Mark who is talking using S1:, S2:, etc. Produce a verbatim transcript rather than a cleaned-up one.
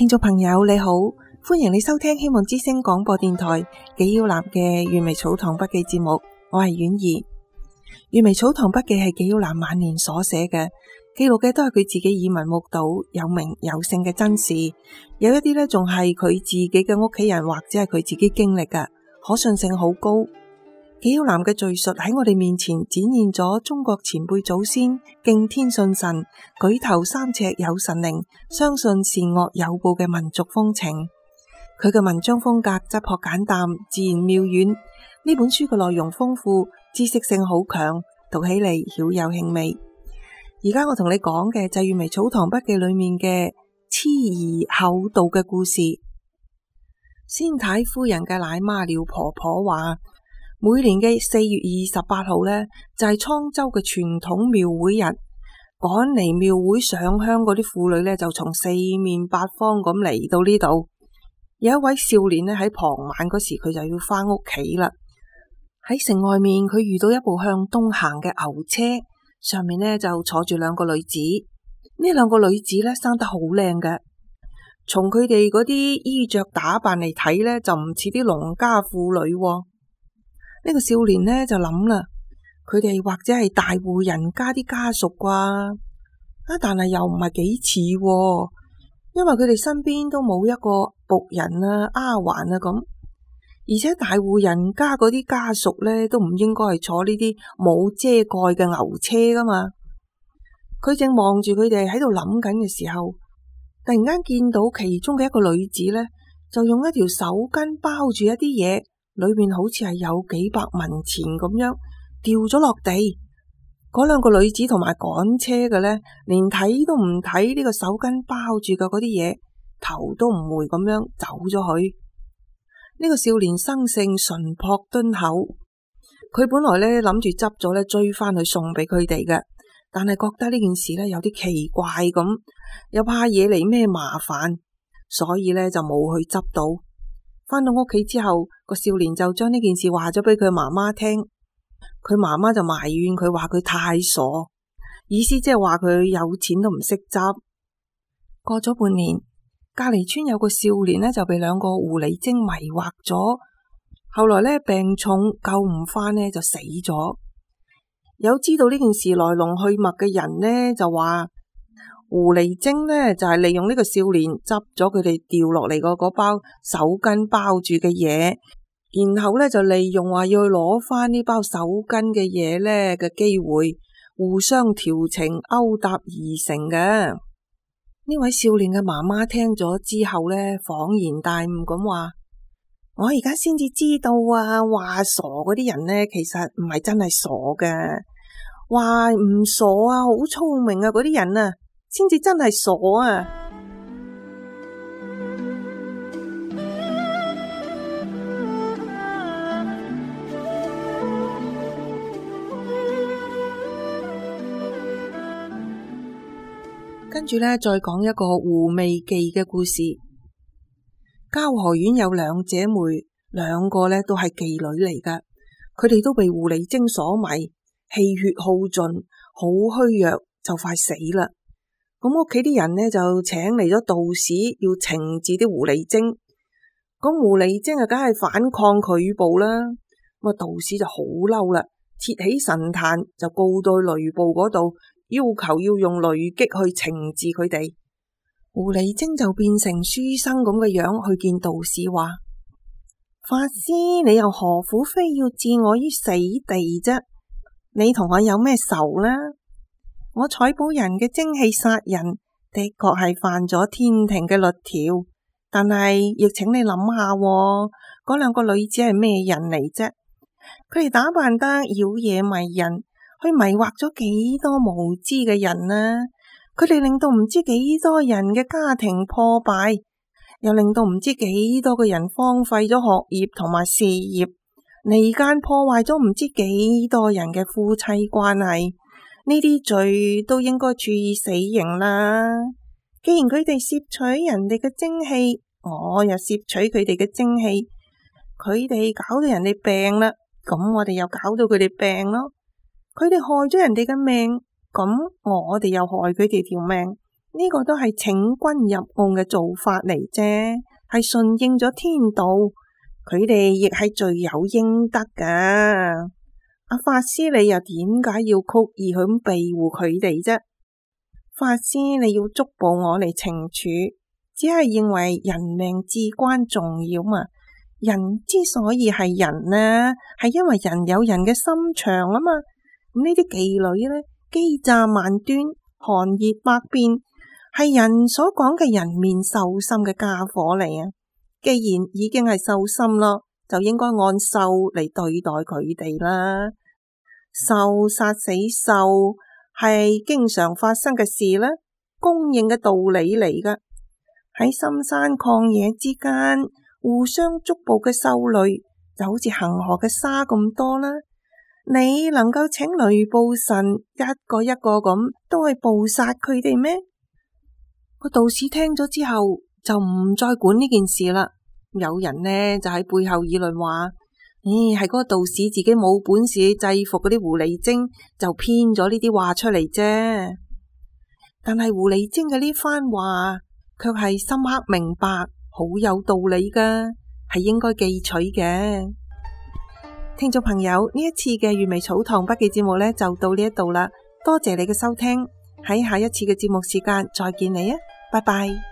S1: 聽眾朋友你好，歡迎你收聽希望之聲廣播電台紀曉嵐嘅閱微草堂筆記節目，我係婉兒。閱微草堂筆記係紀曉嵐晚年所寫嘅，記錄嘅都係佢自己耳聞目睹有名有姓嘅真事，有一啲呢仲係佢自己嘅屋企人或者係佢自己經歷嘅，可信性好高。紀曉嵐嘅敘述喺我哋面前展現咗中國前輩祖先敬天信神、舉頭三尺有神靈、相信善惡有報嘅民族風情。佢嘅文章風格質樸簡淡、自然妙遠。呢本書嘅內容豐富，知識性好強，讀起嚟曉有興味。而家我同你講嘅就係閱微草堂筆記裏面嘅鍮兒厚道嘅故事。先太夫人嘅奶媽廖婆婆話，每年嘅四月二十八號呢，就係滄州嘅傳統廟會日，趕嚟廟會上香嗰啲婦女呢，就從四面八方咁嚟到呢度。有一位少年呢，喺傍晚嗰時佢就要返屋企啦。喺城外面佢遇到一部向東行嘅牛車，上面呢，就坐住兩個女子。呢兩個女子呢，生得好靚嘅，從佢哋嗰啲衣着打扮嚟睇呢，就唔似啲農家婦女喎。呢個少年呢就諗啦，佢哋或者係大戶人家啲家屬啩，啊，但係又唔係幾似，因為佢哋身邊都冇一個僕人啊、丫鬟啊咁，而且大戶人家嗰啲家屬呢都唔應該係坐呢啲冇遮蓋嘅牛車噶嘛。佢正望住佢哋喺度諗緊嘅時候，突然間見到其中嘅一個女子呢，就用一條手巾包住一啲嘢。裏面好似係有幾百文錢咁樣掉咗落地。嗰兩個女子同埋趕車嘅呢，連睇都唔睇呢個手巾包住嘅嗰啲嘢，頭都唔回咁樣走咗去。呢個少年生性淳樸敦厚，佢本來呢諗住執咗呢追翻去送俾佢哋嘅，但係覺得呢件事呢有啲奇怪咁，又怕惹嚟咩麻煩，所以呢就冇去執到。返到屋企之後，個少年就將呢件事話咗俾佢媽媽聽，佢媽媽就埋怨佢話佢太傻，意思即係話佢有錢都唔識執。過咗半年，隔離村有個少年呢就被兩個狐狸精迷惑咗，後來呢病重救唔返呢就死咗。有知道呢件事來龍去脈嘅人呢就話，狐狸精呢就係利用呢個少年執咗佢哋掉落嚟個嗰包手巾包住嘅嘢，然後呢就利用話要去攞翻呢包手巾嘅嘢呢嘅機會，互相調情勾搭而成嘅。呢位少年嘅媽媽聽咗之後呢，恍然大悟咁話：我而家先至知道啊，話傻嗰啲人呢，其實唔係真係傻嘅，話唔傻啊，好聰明啊嗰啲人啊，先至真係傻啊！跟住呢，再講一個狐媚記嘅故事。交河縣有兩姐妹，兩個呢都係妓女嚟噶，佢哋都被狐狸精所迷，氣血耗盡，好虛弱，就快死啦。咁屋企啲人呢就請嚟咗道士，要懲治啲狐狸精。咁狐狸精啊，梗係反抗拒捕啦。咁啊，道士就好嬲啦，設起神壇就告到雷部嗰度，要求要用雷擊去懲治佢哋。狐狸精就變成書生咁嘅樣去見道士，話：法師，你又何苦非要置我於死地啫？你同我有咩仇呢？我採寶人嘅精氣殺人，的確係犯咗天庭嘅律條，但係亦請你諗下，嗰兩個女子係咩人嚟啫？佢哋打扮得妖冶迷人，去迷惑咗幾多無知嘅人啊！佢哋令到唔知幾多人嘅家庭破敗，又令到唔知幾多個人荒廢咗學業同埋事業，離間破壞咗唔知幾多人嘅夫妻關係。呢啲罪都應該處以死刑啦。既然佢哋攝取人哋嘅精氣，我又攝取佢哋嘅精氣，佢哋搞到人哋病啦，咁我哋又搞到佢哋病咯。佢哋害咗人哋嘅命，咁我哋又害佢哋條命，呢個都係請君入甕嘅做法嚟啫，係順應咗天道，佢哋亦係罪有應得噶。阿法師，你又點解要曲意咁庇護佢哋啫？法師，你要捉捕我嚟懲處，只係認為人命至關重要嘛。人之所以係人呢，係因為人有人嘅心腸啊嘛。咁呢啲妓女呢，機詐萬端，寒熱百變，係人所講嘅人面獸心嘅家伙嚟啊。既然已經係獸心咯，就應該按獸嚟對待佢哋啦。獸殺死獸係經常發生嘅事啦，公認嘅道理嚟噶。喺深山曠野之間，互相捉捕嘅獸類就好似恒河嘅沙咁多啦。你能夠請雷暴神一個一個咁都去捕殺佢哋咩？個道士聽咗之後就唔再管呢件事啦。有人呢就喺背後議論話，咦，係嗰個道士自己冇本事制服嗰啲狐狸精，就編咗呢啲話出嚟啫。但係狐狸精嘅呢番話卻係深刻明白，好有道理噶，係應該記取嘅。聽眾朋友，呢一次嘅閱微草堂筆記節目呢就到呢一度啦，多謝你嘅收聽，喺下一次嘅節目時間再見你啊，拜拜。